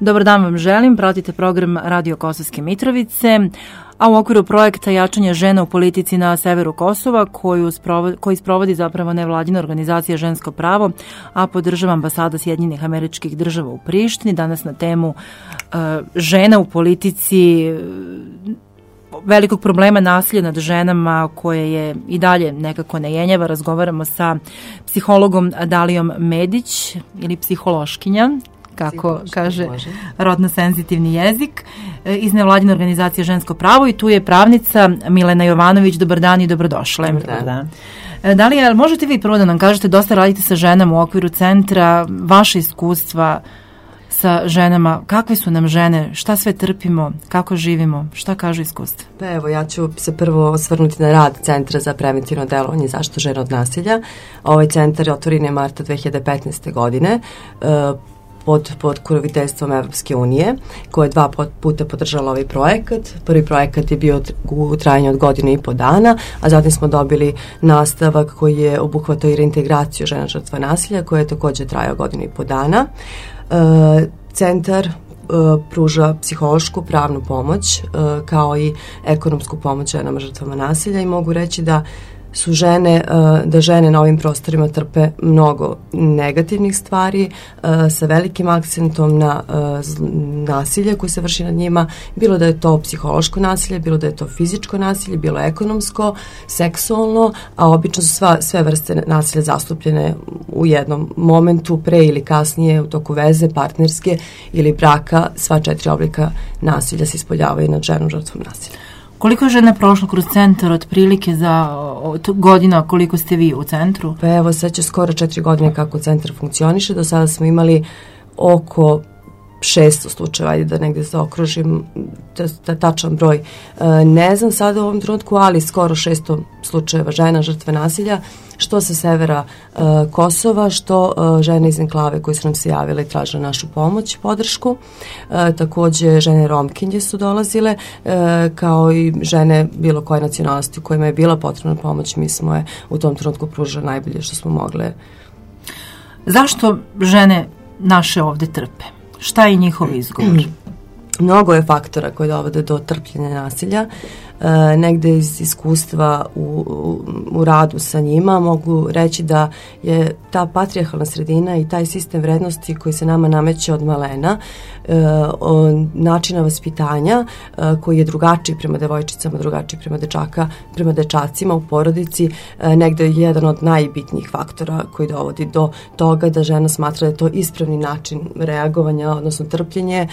Dobar dan vam želim, pratite program Radio Kosovske Mitrovice, a u okviru projekta Jačanje žena u politici na severu Kosova, koji sprovodi zapravo nevladina organizacija Žensko pravo, a podržava ambasada Sjedinjenih Američkih Država u Prištini. Danas na temu žena u politici, velikog problema nasilja nad ženama koje je i dalje nekako nejenjava. Razgovaramo sa psihologom Dalijom Medić ili psihološkinja, kako kaže rodno senzitivni jezik, iz nevladine organizacije Žensko pravo, i tu je pravnica Milena Jovanović. Dobar dan i dobrodošle. Dobar dan. Dalija, možete vi prvo da nam kažete, dosta radite sa ženama u okviru centra, vaše iskustva sa ženama, kakve su nam žene, šta sve trpimo, kako živimo, šta kažu iskustva? Pa evo, ja ću se prvo osvrnuti na rad Centra za preventivno delovanje i zaštitu žena od nasilja. Ovaj centar je otvoren je marta 2015. godine, pod pokroviteljstvom Evropske unije, koja je 2 puta podržala ovaj projekat. Prvi projekat je bio u trajanju od 1,5 godina, a zatim smo dobili nastavak koji je obuhvatao i reintegraciju žena žrtva nasilja, koja je također trajao 1,5 godina. Centar pruža psihološku, pravnu pomoć, kao i ekonomsku pomoć ženama žrtvama nasilja, i mogu reći da su žene na ovim prostorima trpe mnogo negativnih stvari, sa velikim akcentom na nasilje koje se vrši nad njima, bilo da je to psihološko nasilje, bilo da je to fizičko nasilje, bilo ekonomsko, seksualno, a obično su sve vrste nasilja zastupljene u jednom momentu, pre ili kasnije, u toku veze, partnerske ili braka. Sva 4 oblika nasilja se ispoljavaju nad ženom žrtvom nasilja. Koliko je žena prošlo kroz centar otprilike za godina, koliko ste vi u centru? Pa evo, sad će skoro 4 godine kako centar funkcioniše. Do sada smo imali oko 600 slučajeva, ajde da negde zaokružim tačan broj. Ne znam sada u ovom trenutku, ali skoro 600 slučajeva žena žrtve nasilja, što sa severa Kosova, što žene iz enklave koje su nam se javile i tražile našu pomoć i podršku. Takođe žene Romkinje su dolazile, kao i žene bilo koje nacionalnosti kojima je bila potrebna pomoć. Mi smo je u tom trenutku pružili najbolje što smo mogle. Zašto žene naše ovde trpe? Šta je njihov izgovor? Mnogo je faktora koji dovode do trpljenja nasilja. Negde iz iskustva u radu sa njima mogu reći da je ta patrijarhalna sredina i taj sistem vrednosti koji se nama nameće od malena, načina vaspitanja koji je drugačiji prema devojčicama, drugačiji prema dečacima u porodici, negde je jedan od najbitnijih faktora koji dovodi do toga da žena smatra da je to ispravni način reagovanja, odnosno trpljenje,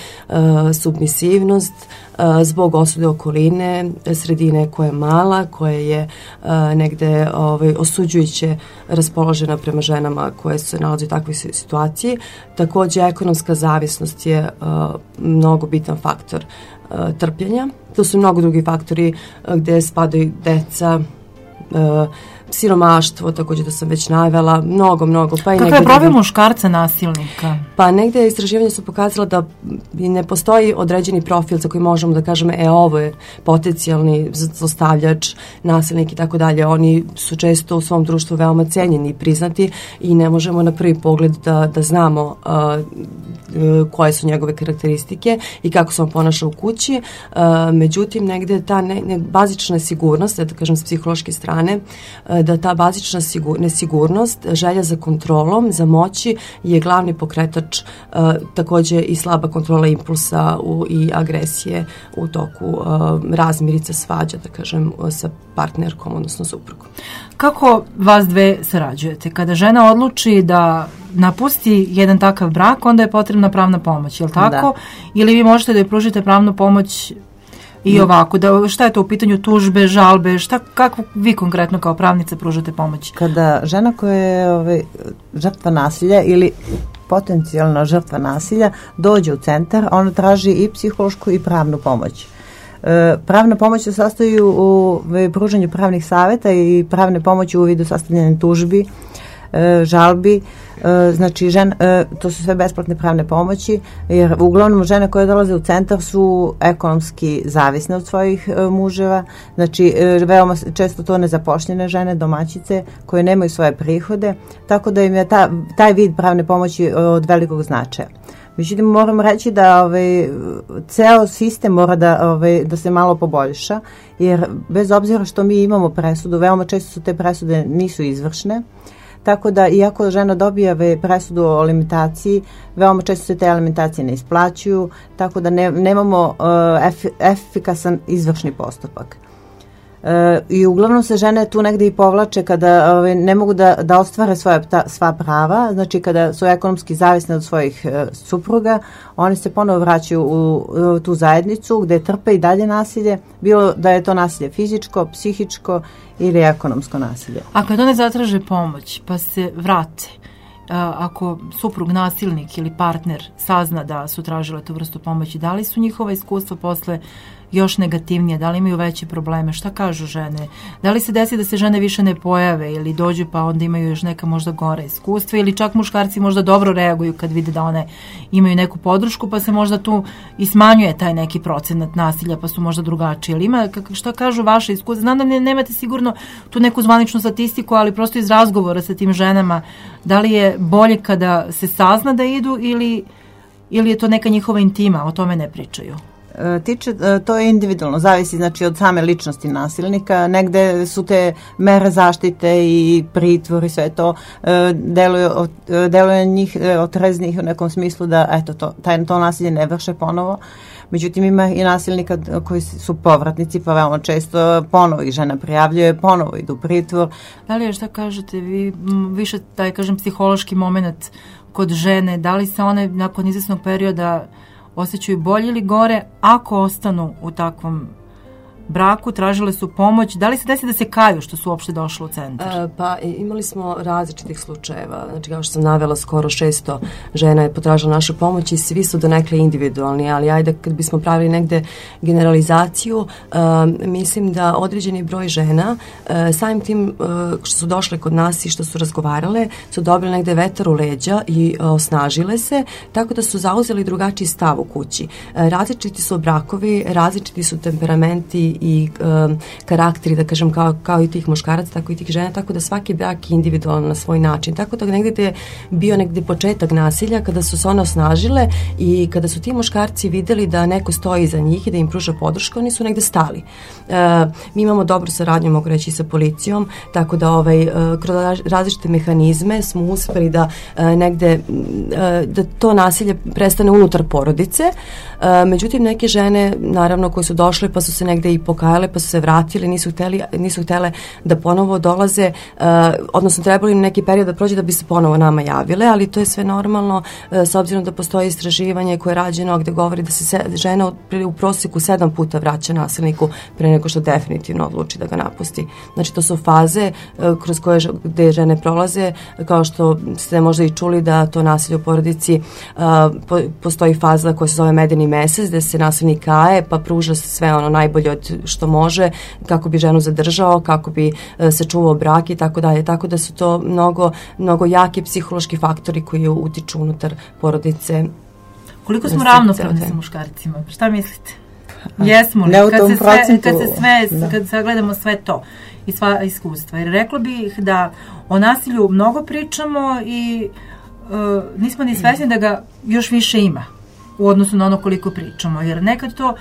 submisivnost, zbog osude okoline, sredine koja je mala, koja je negde osuđujuće raspoložena prema ženama koje se nalaze u takvoj situaciji. Takođe, ekonomska zavisnost je mnogo bitan faktor trpljenja. To su mnogo drugi faktori gde spadaju deca, siromaštvo, također da sam već navela, mnogo. Pa kako je profil muškarca nasilnika? Pa negde istraživanja su pokazala da ne postoji određeni profil za koji možemo da kažemo ovo je potencijalni zlostavljač, nasilnik i tako dalje. Oni su često u svom društvu veoma cenjeni i priznati i ne možemo na prvi pogled da znamo koje su njegove karakteristike i kako se on ponaša u kući. Međutim, negde ta bazična sigurnost, da kažem s psihološke strane, da ta bazična nesigurnost, želja za kontrolom, za moći je glavni pokretač, takođe i slaba kontrola impulsa i agresije u toku razmirica, svađa, da kažem, sa partnerkom, odnosno suprugom. Kako vas dve sarađujete? Kada žena odluči da napusti jedan takav brak, onda je potrebna pravna pomoć, je li tako? Da. Ili vi možete da joj pružite pravnu pomoć i ovako, šta je to u pitanju tužbe, žalbe, kako vi konkretno kao pravnica pružate pomoć? Kada žena koja je žrtva nasilja ili potencijalna žrtva nasilja dođe u centar, ona traži i psihološku i pravnu pomoć. Pravna pomoć se sastoji u pružanju pravnih savjeta i pravne pomoći u vidu sastavljanja tužbi, žalbi, znači to su sve besplatne pravne pomoći, jer uglavnom žene koje dolaze u centar su ekonomski zavisne od svojih muževa, znači veoma često to nezapošljene žene, domaćice koje nemaju svoje prihode, tako da im je taj vid pravne pomoći od velikog značaja. Međutim, moram reći da ceo sistem mora da se malo poboljša, jer bez obzira što mi imamo presudu, veoma često su te presude nisu izvršne, tako da iako žena dobije presudu o alimentaciji, veoma često se te alimentacije ne isplaćuju, tako da nemamo efikasan izvršni postupak. I uglavnom se žene tu negde i povlače kada ne mogu da ostvare sva prava, znači kada su ekonomski zavisne od svojih supruga, oni se ponovo vraćaju u tu zajednicu gde trpe i dalje nasilje, bilo da je to nasilje fizičko, psihičko ili ekonomsko nasilje. A kad one zatraže pomoć pa se vrate, ako suprug, nasilnik ili partner sazna da su tražile tu vrstu pomoći, da li su njihova iskustva posle još negativnije, da li imaju veće probleme, šta kažu žene, da li se desi da se žene više ne pojave ili dođu pa onda imaju još neka možda gore iskustva ili čak muškarci možda dobro reaguju kad vide da one imaju neku podršku pa se možda tu i smanjuje taj neki procenat nasilja pa su možda drugačiji, ali ima, šta kažu vaše iskustva, znam da nemate sigurno tu neku zvaničnu statistiku, ali prosto iz razgovora sa tim ženama, da li je bolje kada se sazna da idu ili je to neka njihova intima, o tome ne pričaju? To je individualno, zavisi znači od same ličnosti nasilnika, negde su te mere zaštite i pritvor i sve to deluje njih otreznih u nekom smislu da eto to nasilje ne vrše ponovo. Međutim, ima i nasilnika koji su povratnici, pa veoma često ponovo ih žena prijavljuje, ponovo idu u pritvor. Da li je, šta kažete, vi više taj, kažem, psihološki moment kod žene, da li se one nakon izvesnog perioda osjećaju bolje ili gore ako ostanu u takvom braku, tražile su pomoć, da li se desi da se kaju što su uopšte došle u centar? Pa imali smo različitih slučajeva, znači kao što sam navela skoro 600 žena je potražila našu pomoć i svi su donekle individualni, ali ajde kad bismo pravili negde generalizaciju, mislim da određeni broj žena samim tim što su došle kod nas i što su razgovarale su dobile negde vetar u leđa i osnažile se, tako da su zauzeli drugačiji stav u kući. Različiti su brakovi, različiti su temperamenti i karakteri, da kažem, kao i tih muškaraca, tako i tih žena, tako da svaki brak je individualan na svoj način. Tako da negde je bio negde početak nasilja kada su se one osnažile i kada su ti muškarci videli da neko stoji iza njih i da im pruža podršku, oni su negde stali. Mi imamo dobru saradnju, mogu reći, sa policijom, tako da kroz različite mehanizme smo uspeli da negde da to nasilje prestane unutar porodice. Međutim, neke žene, naravno, koje su došle pa su se negde i pokajale, pa su se vratile, nisu htele da ponovo dolaze, odnosno trebalo im neki period da prođe da bi se ponovo nama javile, ali to je sve normalno s obzirom da postoji istraživanje koje je rađeno gde govori da se žena u proseku 7 puta vraća nasilniku pre nego što definitivno odluči da ga napusti. Znači to su faze kroz koje gde žene prolaze, kao što ste možda i čuli da to nasilje u porodici postoji faza koja se zove medeni mesec, gde se nasilnik kaje pa pruža sve ono najbolje od što može kako bi ženu zadržao, kako bi sačuvao brak i tako dalje. Tako da su to mnogo jaki psihološki faktori koji utiču unutar porodice. Koliko smo ravnopravni sa muškarcima? Šta mislite? Jesmo li? Kad sagledamo sve to i sva iskustva. Jer rekla bih da o nasilju mnogo pričamo i nismo ni svesni da ga još više ima u odnosu na ono koliko pričamo, jer nekad to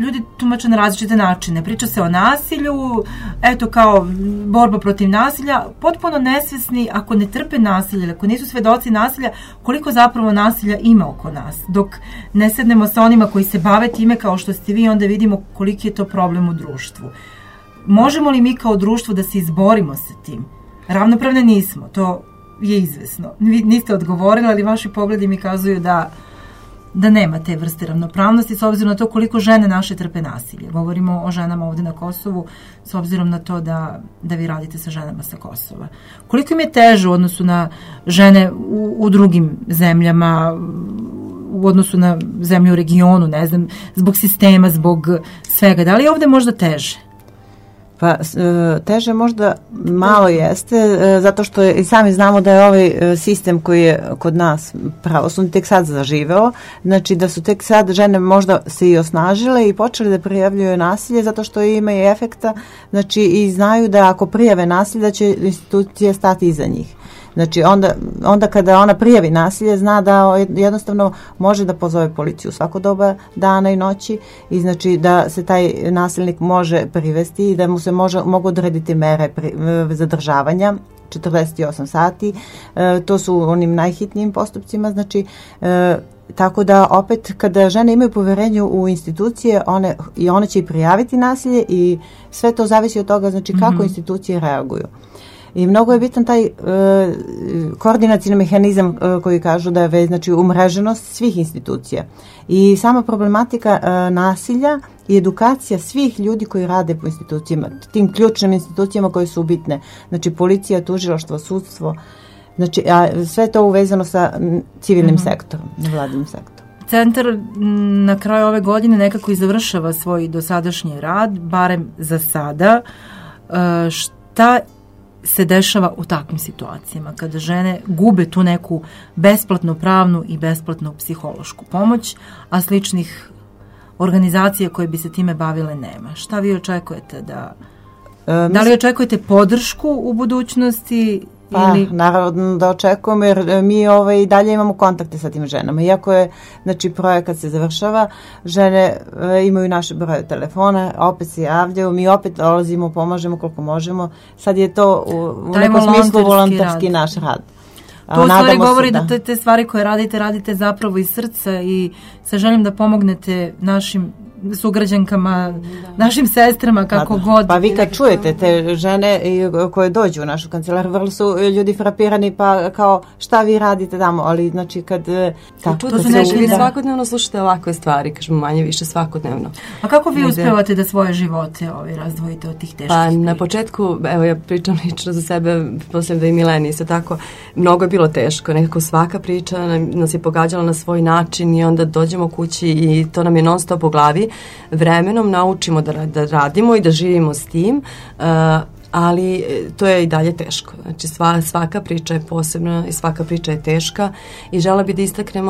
ljudi tumače na različite načine. Priča se o nasilju, eto kao borba protiv nasilja, potpuno nesvesni ako ne trpe nasilje, ako nisu svedoci nasilja, koliko zapravo nasilja ima oko nas. Dok ne sednemo sa onima koji se bave time kao što ste vi, onda vidimo koliki je to problem u društvu. Možemo li mi kao društvo da se izborimo sa tim? Ravnopravne nismo, to je izvesno. Vi niste odgovorili, ali vaši pogledi mi kazuju da nema te vrste ravnopravnosti s obzirom na to koliko žene naše trpe nasilje. Govorimo o ženama ovde na Kosovu s obzirom na to da vi radite sa ženama sa Kosova. Koliko im je teže u odnosu na žene u drugim zemljama, u odnosu na zemlje u regionu, ne znam, zbog sistema, zbog svega. Da li je ovde možda teže? Pa teže možda malo jeste, zato što i sami znamo da je ovaj sistem koji je kod nas pravosudni tek sad zaživeo, znači da su tek sad žene možda se i osnažile i počeli da prijavljuju nasilje zato što ima i efekta, znači i znaju da ako prijave nasilje da će institucije stati iza njih. Znači onda kada ona prijavi nasilje zna da jednostavno može da pozove policiju svako doba dana i noći i znači da se taj nasilnik može privesti i da mu se mogu odrediti mere zadržavanja 48 sati, to su onim najhitnijim postupcima, znači tako da opet kada žene imaju poverenje u institucije, one će i prijaviti nasilje i sve to zavisi od toga znači kako institucije reaguju. I mnogo je bitan taj koordinacijni mehanizam koji kažu da je znači umreženost svih institucija. I sama problematika nasilja i edukacija svih ljudi koji rade po institucijama, tim ključnim institucijama koje su bitne. Znači policija, tužilaštvo, sudstvo, znači sve to uvezano sa civilnim sektorom, nevladinim sektorom. Centar na kraju ove godine nekako i završava svoj dosadašnji rad, barem za sada. Šta se dešava u takvim situacijama kada žene gube tu neku besplatnu pravnu i besplatnu psihološku pomoć, a sličnih organizacija koje bi se time bavile nema? Šta vi očekujete da li očekujete podršku u budućnosti? Pa, naravno da očekujemo jer mi i dalje imamo kontakte sa tim ženama. Iako je, znači, projekat se završava, žene imaju naše broje telefona, opet se javljaju, mi opet dolazimo, pomažemo koliko možemo. Sad je to u nekom smislu volonterski naš rad. To u stvari govori da te stvari koje radite zapravo iz srca i sa željom da pomognete našim sugrađankama, našim sestrama, kako god. Pa vi kad čujete te žene koje dođu u našu kancelariju, vrlo su ljudi frapirani, pa kao šta vi radite tamo, ali znači kad... Vi svakodnevno slušate ovakve stvari, kažemo manje više svakodnevno. A kako vi uspevate da svoje živote razdvojite od tih teških priča? Na početku, evo ja pričam lično za sebe, posle da i Mileni isto tako, mnogo je bilo teško, nekako svaka priča nas je pogađala na svoj način i onda dođemo kući i to nam je non stop u glavi. Vremenom naučimo da radimo i da živimo s tim, ali to je i dalje teško. Znači svaka priča je posebna i svaka priča je teška i žela bi da istaknem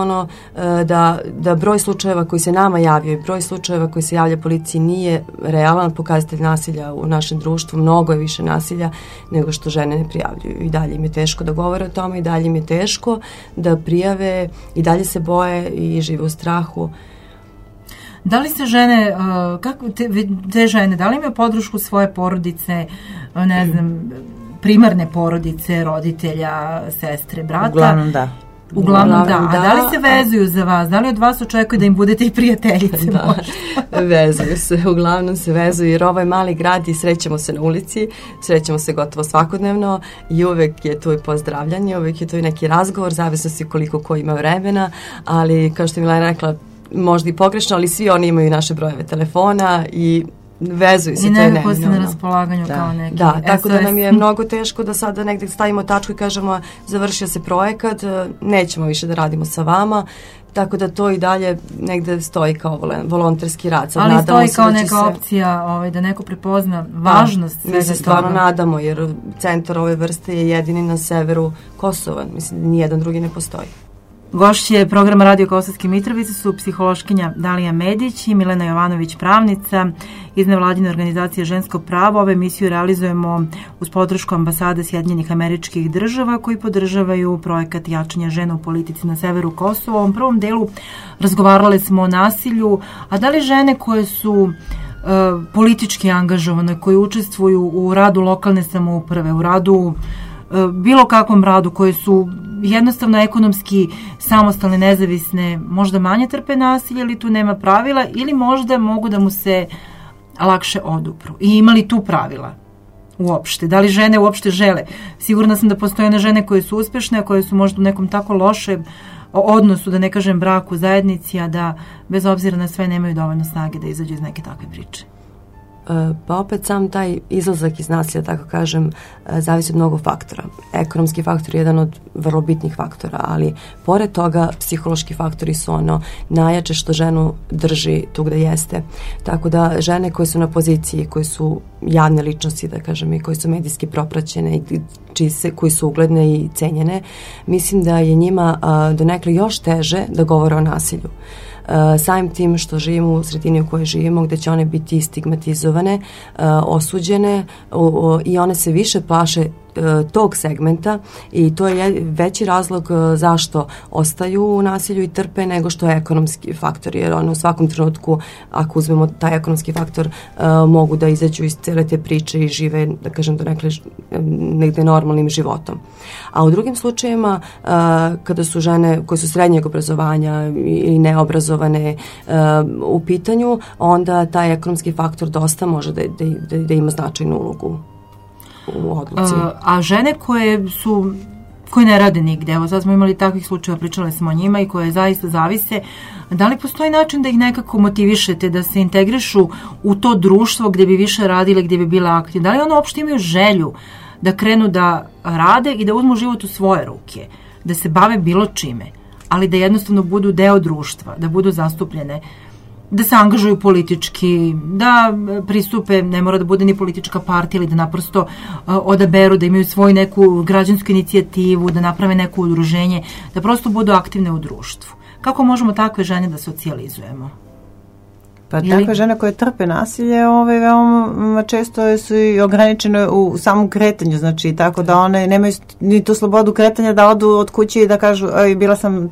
da broj slučajeva koji se nama javljaju i broj slučajeva koji se javlja policiji nije realan pokazatelj nasilja u našem društvu. Mnogo je više nasilja nego što žene ne prijavljuju. I dalje im je teško da govore o tome, i dalje im je teško da prijave, i dalje se boje i žive u strahu. Da li se žene, kako te žene, da li imaju podršku svoje porodice, ne znam, primarne porodice, roditelja, sestre, brata? Uglavnom da. Uglavnom da. A da li se vezuju za vas? Da li od vas očekuju da im budete i prijateljice? Da, vezuju se, uglavnom se vezuju jer ovo je mali grad i srećemo se na ulici, srećemo se gotovo svakodnevno i uvek je tu i pozdravljanje, uvek je tu i neki razgovor, zavisno se koliko ko ima vremena, ali kao što je Milena rekla, možda i pogrešno, ali svi oni imaju naše brojeve telefona i vezuju se. I nekako ste na raspolaganju kao neki. Da, tako da nam je mnogo teško da sada negde stavimo tačku i kažemo završio se projekat, nećemo više da radimo sa vama, tako da to i dalje negde stoji kao volonterski rad. Sad ali stoji kao neka opcija da neko prepozna važnost svega toga. Mi se stvarno nadamo jer centar ove vrste je jedini na severu Kosova, mislim nijedan drugi ne postoji. Gošće programa Radio Kosovske Mitrovice su psihološkinja Dalija Medić i Milena Jovanović, pravnica iz nevladine organizacije Žensko pravo. Ovu emisiju realizujemo uz podršku ambasade Sjedinjenih Američkih Država koji podržavaju projekat jačanja žena u politici na severu Kosova. U ovom prvom delu razgovarali smo o nasilju, a da li žene koje su politički angažovane, koje učestvuju u radu lokalne samouprave, u radu bilo kakvom radu, koje su jednostavno ekonomski samostalne, nezavisne, možda manje trpe nasilje ili tu nema pravila ili možda mogu da mu se lakše odupru. I ima li tu pravila uopšte? Da li žene uopšte žele? Sigurna sam da postoje one žene koje su uspešne, a koje su možda u nekom tako lošem odnosu, da ne kažem braku, zajednici, a da bez obzira na sve nemaju dovoljno snage da izađu iz neke takve priče. Pa opet sam taj izlazak iz nasilja, tako kažem, zavisi od mnogo faktora. Ekonomski faktor je jedan od vrlo bitnih faktora, ali pored toga psihološki faktori su ono najjače što ženu drži tu gde jeste. Tako da žene koje su na poziciji, koje su javne ličnosti, da kažem, i koje su medijski propraćene i koji su ugledne i cenjene, mislim da je njima donekle još teže da govore o nasilju. Samim tim što živimo u sredini u kojoj živimo, gde će one biti stigmatizovane, osuđene i one se više plaše tog segmenta i to je veći razlog zašto ostaju u nasilju i trpe nego što je ekonomski faktor, jer one u svakom trenutku, ako uzmemo taj ekonomski faktor, mogu da izađu iz cele te priče i žive, da kažem, negde normalnim životom. A u drugim slučajevima, kada su žene koje su srednjeg obrazovanja ili neobrazovane u pitanju, onda taj ekonomski faktor dosta može da ima značajnu ulogu u odluci. A žene koje ne rade nigde, evo sad smo imali takvih slučajeva, pričali smo o njima i koje zaista zavise, da li postoji način da ih nekako motivišete, da se integrišu u to društvo gde bi više radile, gde bi bile aktivne? Da li one uopšte imaju želju da krenu da rade i da uzmu život u svoje ruke, da se bave bilo čime, ali da jednostavno budu deo društva, da budu zastupljene, da se angažuju politički, da pristupe, ne mora da bude ni politička partija, ili da naprosto odaberu, da imaju svoju neku građansku inicijativu, da naprave neko udruženje, da prosto budu aktivne u društvu. Kako možemo takve žene da socijalizujemo? Pa takve žene koje trpe nasilje, veoma često su i ograničene u samom kretanju, znači tako da one nemaju ni tu slobodu kretanja da odu od kuće i da kažu bila sam,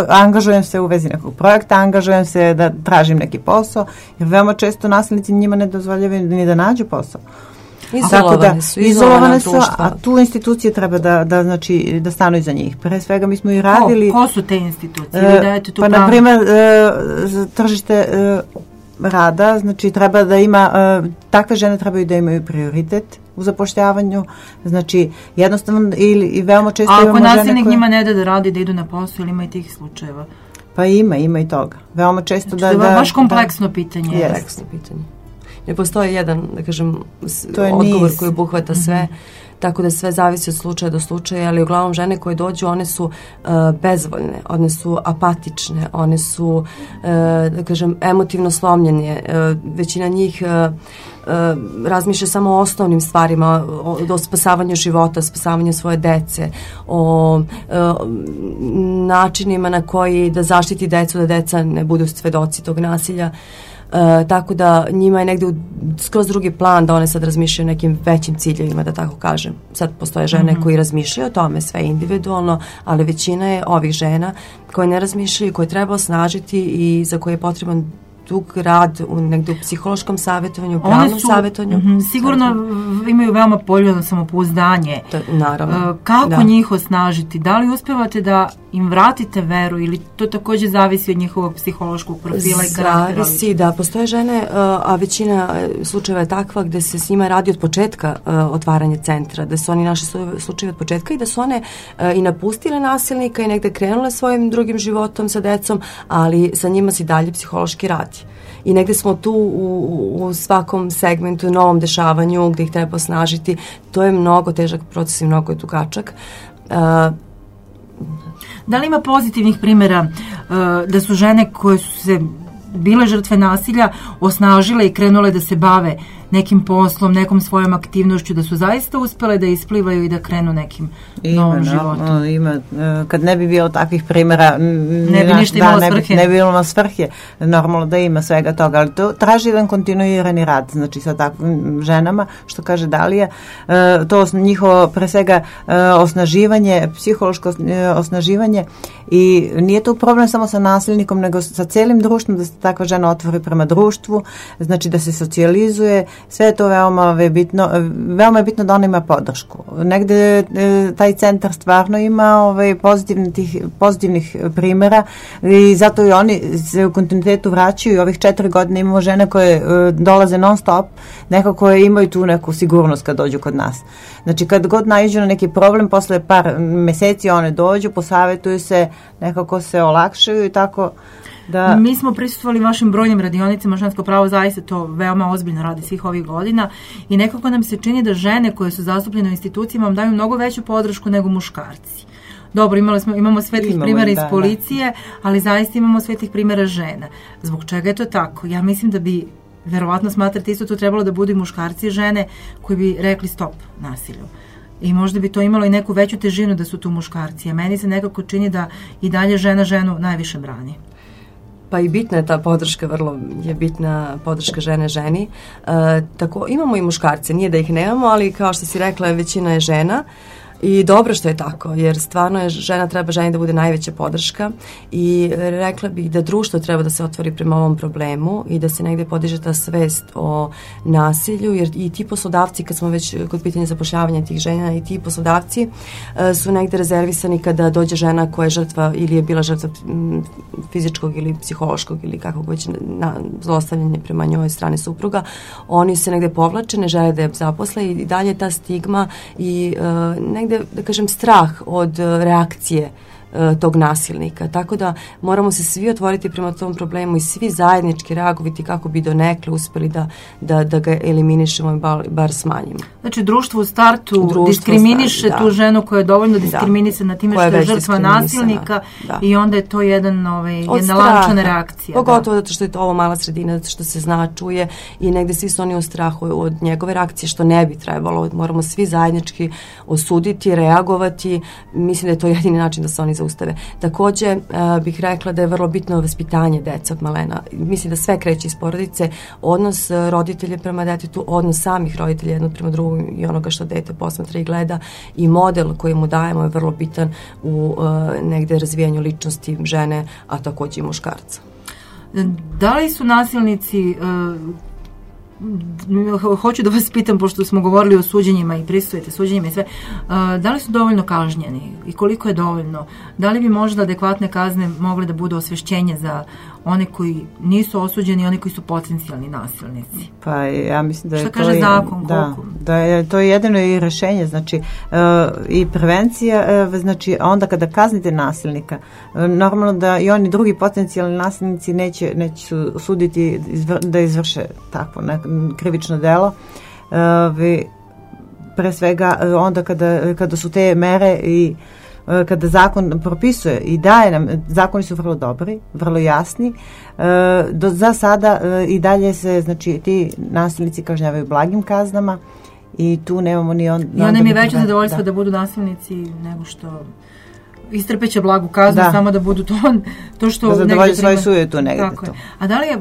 angažujem se u vezi nekog projekta, angažujem se da tražim neki posao, jer veoma često nasilnici njima ne dozvoljavaju ni da nađu posao. Izolovane su, a tu institucije treba da stanu iza njih. Pre svega mi smo i radili... Ko su te institucije? Pa, na primjer, tržište rada, znači treba da ima, takve žene trebaju da imaju prioritet u zapošljavanju, znači jednostavno i veoma često imamo žene koje... Ako nasilnik njima ne da radi, da idu na posao, ili ima i tih slučajeva? Pa ima i toga. Veoma često znači, da... baš kompleksno pitanje. Kompleksno pitanje. Ne postoji jedan, da kažem, odgovor koji obuhvata sve, tako da sve zavisi od slučaja do slučaja, ali uglavnom žene koje dođu, one su bezvoljne, one su apatične, one su, da kažem, emotivno slomljene. Većina njih razmišlja samo o osnovnim stvarima, o spasavanju života, spasavanju svoje dece, o načinima na koji da zaštiti decu, da deca ne budu svedoci tog nasilja. Tako da njima je negde skroz drugi plan da one sad razmišljaju o nekim većim ciljevima, da tako kažem. Sad postoje žene koji razmišljaju o tome, sve individualno, ali većina je ovih žena koje ne razmišljaju, koje treba osnažiti i za koje je potreban dug rad negde u psihološkom savjetovanju, pravnom savjetovanju. Sigurno imaju veoma poljubno samopouzdanje. Naravno. Kako njih osnažiti? Da li uspevate da im vratite veru ili to takođe zavisi od njihovog psihološkog profila i karaktera? Zavisi, da. Postoje žene, a većina slučajeva je takva gde se s njima radi od početka otvaranja centra, da su oni našli slučaje od početka i da su one i napustile nasilnika i negde krenule svojim drugim životom sa decom, ali sa njima se dalje psihološki radi. I negde smo tu u svakom segmentu, novom dešavanju gde ih treba osnažiti. To je mnogo težak proces i mnogo je dugačak. Da li ima pozitivnih primjera da su žene koje su se bile žrtve nasilja osnažile i krenule da se bave nekim poslom, nekom svojom aktivnošću, da su zaista uspele da isplivaju i da krenu nekim novom životom? Ima. Kad ne bi bilo takvih primjera, ne bi ništa imalo svrhe. Ne bi bilo svrhe. Normalno da ima svega toga, ali to traži jedan kontinuirani rad, znači sa takvim ženama, što kaže Dalija, to njihovo pre svega osnaživanje, psihološko osnaživanje, i nije to problem samo sa nasilnikom, nego sa celim društvom, da se takva žena otvori prema društvu, znači da se socijalizuje. Sve je to veoma bitno. Veoma je bitno da ona ima podršku. Negde taj centar stvarno ima pozitivnih primjera i zato i oni se u kontinuitetu vraćaju. Ovih 4 godine imamo žene koje dolaze non stop, nekako koje imaju tu neku sigurnost kad dođu kod nas. Znači kad god naiđu na neki problem, posle par meseci one dođu, posavetuju se, nekako se olakšaju i tako. Da. Mi smo prisustvovali vašim brojnim radionicama, žensko pravo zaista to veoma ozbiljno radi svih ovih godina i nekako nam se čini da žene koje su zastupljene u institucijama vam daju mnogo veću podršku nego muškarci. Dobro, imamo svetlih primjera iz policije, ali zaista imamo svetlih primjera žena. Zbog čega je to tako? Ja mislim da bi, verovatno smatrate isto, to trebalo da budu i muškarci i žene koji bi rekli stop nasilju. I možda bi to imalo i neku veću težinu da su tu muškarci. A meni se nekako čini da i dalje žena ženu najviše brani. Pa i bitna je ta podrška, vrlo je bitna podrška žene. Tako, imamo i muškarce, nije da ih nemamo, ali kao što si rekla, većina je žena. I dobro što je tako, jer stvarno je treba ženi da bude najveća podrška i rekla bih da društvo treba da se otvori prema ovom problemu i da se negde podiže ta svest o nasilju, jer i ti poslodavci, kad smo već kod pitanja zapošljavanja tih žena, i ti poslodavci su negde rezervisani kada dođe žena koja je žrtva ili je bila žrtva fizičkog ili psihološkog ili kakvog već zlostavljanja prema njoj strane supruga, oni se negde povlače, ne žele da je zaposle i dalje ta stigma i negde, da kažem, strah od reakcije tog nasilnika. Tako da moramo se svi otvoriti prema tom problemu i svi zajednički reagovati kako bi donekle uspeli da ga eliminišemo i bar smanjimo. Znači, društvo u startu diskriminiše tu ženu koja je dovoljno diskriminisana time što je žrtva nasilnika i onda je to jedna lančana reakcija. Pogotovo zato što je to ovo mala sredina, zato što se zna, čuje i negde svi su oni u strahu od njegove reakcije, što ne bi trebalo. Moramo svi zajednički osuditi, reagovati. Mislim da je to jedini način da se oni zaustave. Takođe bih rekla da je vrlo bitno vaspitanje dece od malena. Mislim da sve kreće iz porodice, odnos roditelja prema detetu, odnos samih roditelja jedno prema drugom i onoga što dete posmatra i gleda i model koji mu dajemo je vrlo bitan u negde razvijanju ličnosti žene, a takođe i muškarca. Da li su nasilnici hoću da vas pitam, pošto smo govorili o suđenjima i prisustujete suđenjima i sve, da li su dovoljno kažnjeni i koliko je dovoljno? Da li bi možda adekvatne kazne mogle da budu osvešćenje za one koji nisu osuđeni i one koji su potencijalni nasilnici? Pa ja mislim da je to... Šta kaže zakon? Da je to jedino i rešenje, znači i prevencija, znači onda kada kaznite nasilnika, normalno da i oni drugi potencijalni nasilnici neće suditi da izvrše takvo krivično delo. Pre svega onda kada su te mere i kada zakon propisuje i daje nam, zakoni su vrlo dobri, vrlo jasni, za sada i dalje se, znači, ti nasilnici kažnjavaju blagim kaznama i tu nemamo ni on... I onda mi je veće zadovoljstvo da budu nasilnici nego što istrpeće blagu kaznu, samo da budu to što... Da zadovolje svoje sujetu negde to. A da li je,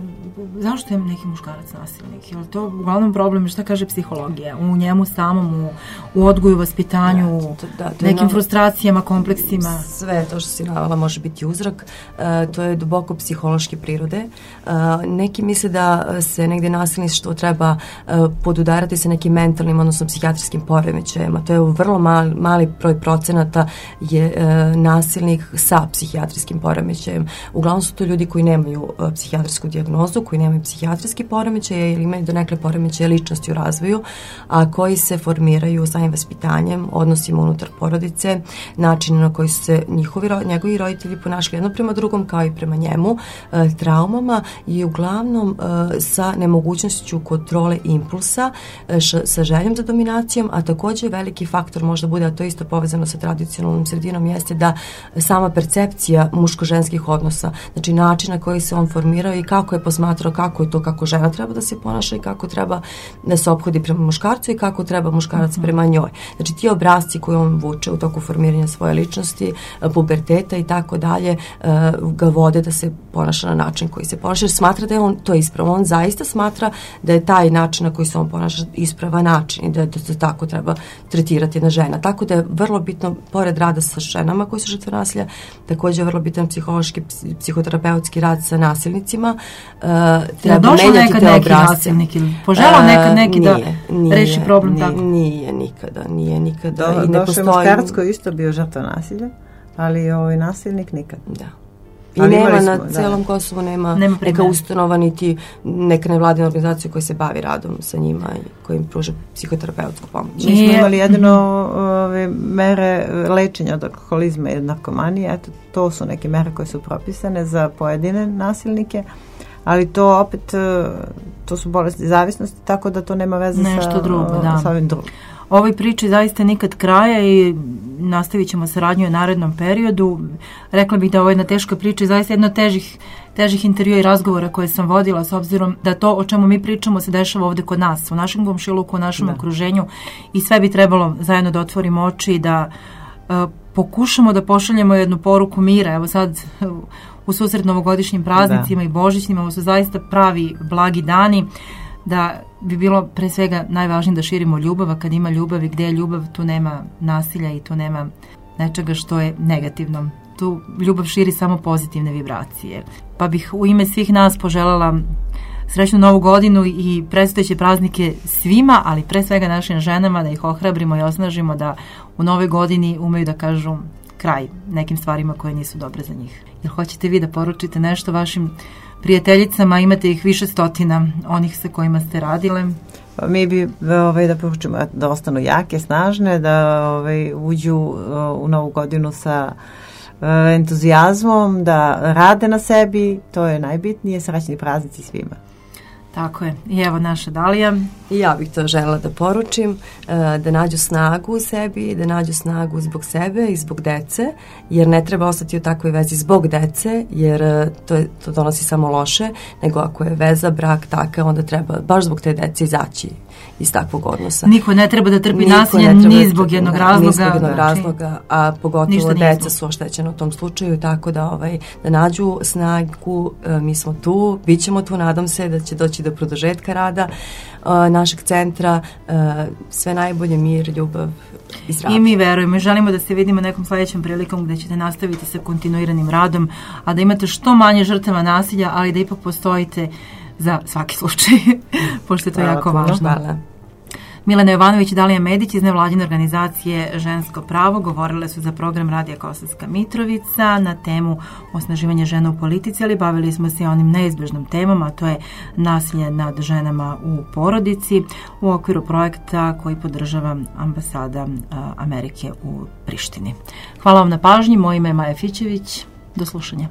zašto je neki muškarac nasilnik? Je li to uglavnom problem, šta kaže psihologija? U njemu samom, u odgoju, vaspitanju, nekim frustracijama, kompleksima? Sve to što si navela može biti uzrok. To je duboko psihološke prirode. Neki misle da se negde nasilništvo treba podudarati sa nekim mentalnim, odnosno psihijatrijskim poremećajima. To je vrlo mali broj procenata je nasilnik sa psihijatrijskim poremećajem. Uglavnom su to ljudi koji nemaju psihijatrijsku dijagnozu, koji nemaju psihijatrijski poremećaj ili imaju donekle poremećaje ličnosti u razvoju, a koji se formiraju samim vaspitanjem, odnosima unutar porodice, načinu na koji su se njegovi roditelji ponašali jedno prema drugom kao i prema njemu, traumama i uglavnom sa nemogućnošću kontrole impulsa, sa željom za dominacijom, a takođe veliki faktor možda bude, a to isto povezano sa tradicionalnom sredinom, jeste da sama percepcija muško-ženskih odnosa, znači način na koji se on formirao i kako je posmatrao kako je to, kako žena treba da se ponaša i kako treba da se ophodi prema muškarcu i kako treba muškarac prema njoj. Znači ti obrasci koje on vuče u toku formiranja svoje ličnosti, puberteta i tako dalje, ga vode da se ponaša na način koji se ponaša, jer smatra da je on to ispravo. On zaista smatra da je taj način na koji se on ponaša ispravan način i da se tako treba tretirati jedna žena. Tako da je vrlo bitno, pored rada sa ženama koji su žrtve nasilja, takođe je vrlo bitan psihološki, psihoterapeutski rad sa nasilnicima. Treba menjati te obrasce. Poželao nekad neki da reši problem tako? Nije nikada. Došao je muškarac koji isto bio žrtva nasilja, ali nasilnik nikad. Da. I nema na celom Kosovu, nema neka ustanova niti neka nevladina organizacija koja se bavi radom sa njima i koja im pruža psihoterapeutsku pomoć. Mi smo imali jedino mere lečenja od alkoholizma i narkomanije, eto, to su neke mere koje su propisane za pojedine nasilnike, ali to opet, to su bolesti zavisnosti, tako da to nema veze sa ovim drugim. Ovoj priči zaista nikad kraja i nastavit ćemo saradnju u narednom periodu. Rekla bih da ovo je jedna teška priča i zaista jedna od težih intervjua i razgovora koje sam vodila, s obzirom da to o čemu mi pričamo se dešava ovde kod nas, u našem komšiluku, u našem okruženju i sve bi trebalo zajedno da otvorimo oči i da pokušamo da pošaljemo jednu poruku mira. Evo sad u susret novogodišnjim praznicima i božićnima, ovo su zaista pravi blagi dani, da bi bilo pre svega najvažnije da širimo ljubav, a kad ima ljubav i gde je ljubav, tu nema nasilja i tu nema nečega što je negativno. Tu ljubav širi samo pozitivne vibracije. Pa bih u ime svih nas poželjela srećnu novu godinu i predstojeće praznike svima, ali pre svega našim ženama, da ih ohrabrimo i osnažimo da u novoj godini umeju da kažu kraj nekim stvarima koje nisu dobre za njih. Jer hoćete vi da poručite nešto vašim prijateljicama, imate ih više stotina, onih sa kojima ste radile? Pa mi bi da poručimo da ostanu jake, snažne, da uđu u novu godinu sa entuzijazmom, da rade na sebi, to je najbitnije, srećni praznici svima. Tako je. I evo naša Dalija. I ja bih to želela da poručim, da nađu snagu u sebi, da nađu snagu zbog sebe i zbog dece, jer ne treba ostati u takvoj vezi zbog dece, jer to donosi samo loše, nego ako je veza, brak taka, onda treba baš zbog te dece izaći iz takvog odnosa. Niko ne treba da trpi nasilje ni zbog jednog razloga. Ni zbog jednog razloga, a pogotovo deca su oštećena u tom slučaju, tako da nađu snagu, mi smo tu, bit ćemo tu, nadam se da će doći do produžetka rada našeg centra, sve najbolje, mir, ljubav i zdravlje. I mi verujemo i želimo da se vidimo nekom sledećom prilikom gde ćete nastaviti sa kontinuiranim radom, a da imate što manje žrtava nasilja, ali da ipak postojite za svaki slučaj, pošto je to jako važno. Hvala. Milena Jovanović i Dalija Medić iz nevladine organizacije Žensko pravo govorile su za program Radija Kosovska Mitrovica na temu osnaživanja žena u politici, ali bavili smo se onim neizbežnom temom, a to je nasilje nad ženama u porodici u okviru projekta koji podržava ambasada Amerike u Prištini. Hvala vam na pažnji, moje ime je Maja Fićević, do slušanja.